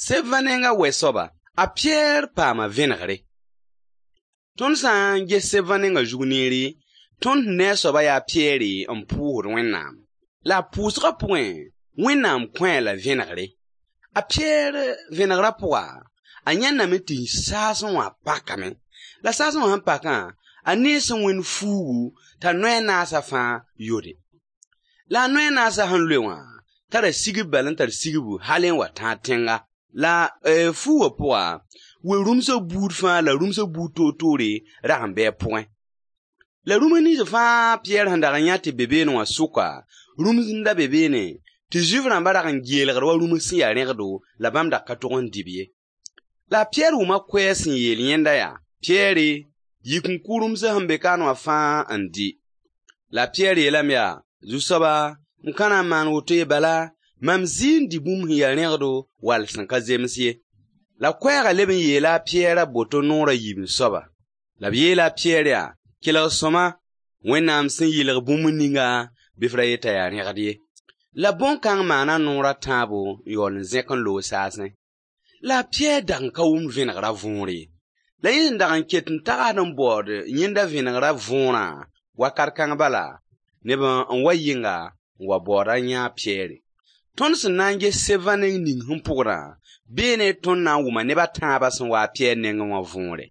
Sebã nenga wɛ-soaba, a Piyɛr paama vẽnegre. Tõnd sã n ges sebã nenga zug neere, tõnd ne a soaba yaa Piyɛre n pʋʋsd Wẽnnaam. La a pʋʋsgã pʋgẽ, Wẽnnaam kõ-a la vẽnegre. A Piyɛr vẽnegrã pʋga, a yãndame tɩ saasẽ wã pakame. La saasẽ wã sẽn pakã, a nees wẽnd fuugu t'a noy a naasã fãa yode. La a noy a naasã sẽn loe wã, tara sigb bal n tar sigbu hal n wa tãag tẽnga. La fuugã pʋga, we-rũmsã buud fãa la rũmsã buud toor-toore rag n bɩ a pʋgẽ. La rũms nins fãa Piyɛr sẽn dag n yã tɩ be beene wã sʋka, rũms n da be beene, tɩ Zuif-rãmba rag n geelgd wa rũms sẽn yaa rẽgdo la bãmb dag ka tog n dɩ-b ye. La a Piyɛr wʋma koɛɛg sẽn yeel yẽnda yaa: Piyɛre, yik n kʋ rũmsã sẽn be kaane wã fãa n dɩ. La a Piyɛr yeelame yaa: Zu-soaba, m ka na n maan woto ye bala, mam zɩ n dɩ bũmb sẽn yaa rẽgdo wall sẽn ka zems ye. La koɛɛgã leb n yeela a Piyɛr a boto noor a yiib soaba. La b yeela a Piyɛr yaa: Kelg sõma, Wẽnnaam sẽn yɩlg bũmb ninga, bɩ f ra yeta yaa rẽgd ye. La bõn-kãng maana noor a tãabo n yaool n zẽk n loog saasẽ. La a Piyɛr dag n ka wʋmd vẽnegrã võor ye. La yẽ sẽn dag n ket n tagsd n baood yẽnda vẽnegrã võorã, wakat kãng bala, neb n wa yɩnga n wa baood a yã a Piyɛre. Tõnd sẽn na n ges sebã neng ning sẽn pʋgdã, beene tõnd na n wʋma neb a tãabã sẽn wa a Piyɛr nengẽ wã võore.